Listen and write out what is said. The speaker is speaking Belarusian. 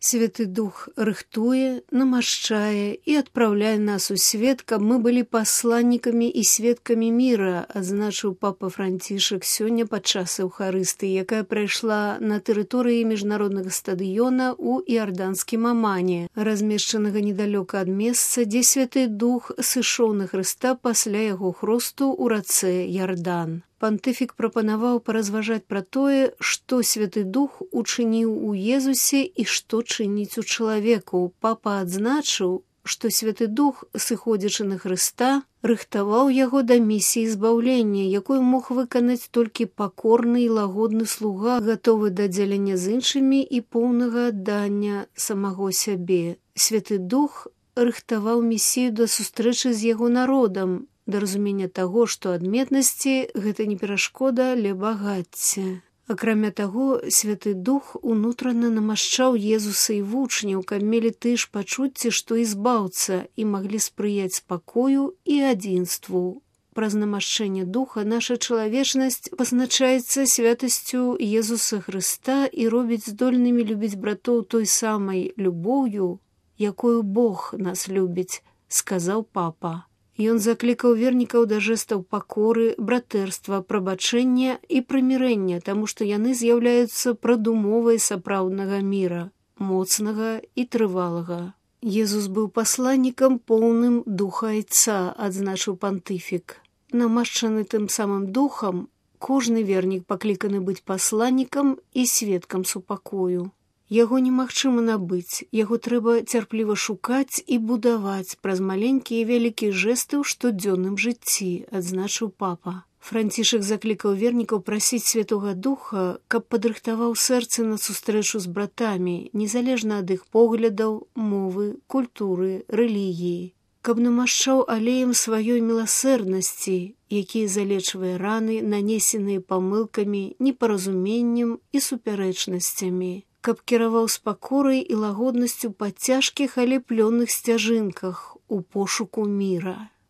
Святы Дух рыхтуе, намашчае і адпраўляе нас у свет, каб мы былі пасланнікамі і сведкамі міра, адзначыў папа Францішак сёння падчас Еўхарыстыі, якая прайшла на тэрыторыі міжнароднага стадыёна ў іарданскім Амане, размешчанага недалёка ад месца, дзе Святы Дух сышоў на Хрыста пасля яго хросту ў рацэ Ярдан. Пантыфік прапанаваў паразважаць пра тое, што Святы Дух учыніў у Езусе і што чыніць у чалавеку. Папа адзначыў, што Святы Дух, сыходзячы на Хрыста, рыхтаваў яго да місіі збаўлення, якую мог выканаць толькі пакорны і лагодны слуга, гатовы да дзялення з іншымі і поўнага аддання самого сябе. Святы Дух рыхтаваў месію да сустрэчы з яго народам, да разумення таго, што адметнасці гэта не перашкода, але багацце. Акрамя таго, Святы Дух унутрана намашчаў Езуса і вучняў, каб мелі тыя ж пачуцці, што і збаўца, і маглі спрыяць спакою і адзінству. Праз намашчэнне Духа наша чалавечнасць пазначаецца святасцю Езуса Хрыста і робіць здольнымі любіць братоў той самай любоўю, якою Бог нас любіць, сказаў папа. Ён заклікаў вернікаў да жэстаў пакоры, братэрства, прабачэння і прымірэння, таму што яны з'яўляюцца прадумовай сапраўднага міра, моцнага і трывалага. Езус быў пасланнікам поўным духа Айца, адзначыў пантыфік. Намашчаны тым самым духам, кожны вернік пакліканы быць пасланнікам і сведкам супакою. Яго немагчыма набыць, яго трэба цярпліва шукаць і будаваць праз маленькія і вялікія жэсты ў штодзённым жыцці, адзначыў папа. Францішак заклікаў вернікаў прасіць Святога Духа, каб падрыхтаваў сэрцы на сустрэчу з братамі, незалежна ад іх поглядаў, мовы, культуры, рэлігіі, каб намашчаў алеем сваёй міласэрнасці, які залечвае раны, нанесеныя памылкамі, непаразуменнем і супярэчнасцямі, каб кіраваў з пакорай і лагоднасцю па цяжкіх, але плённых сцяжынках у пошуку міра.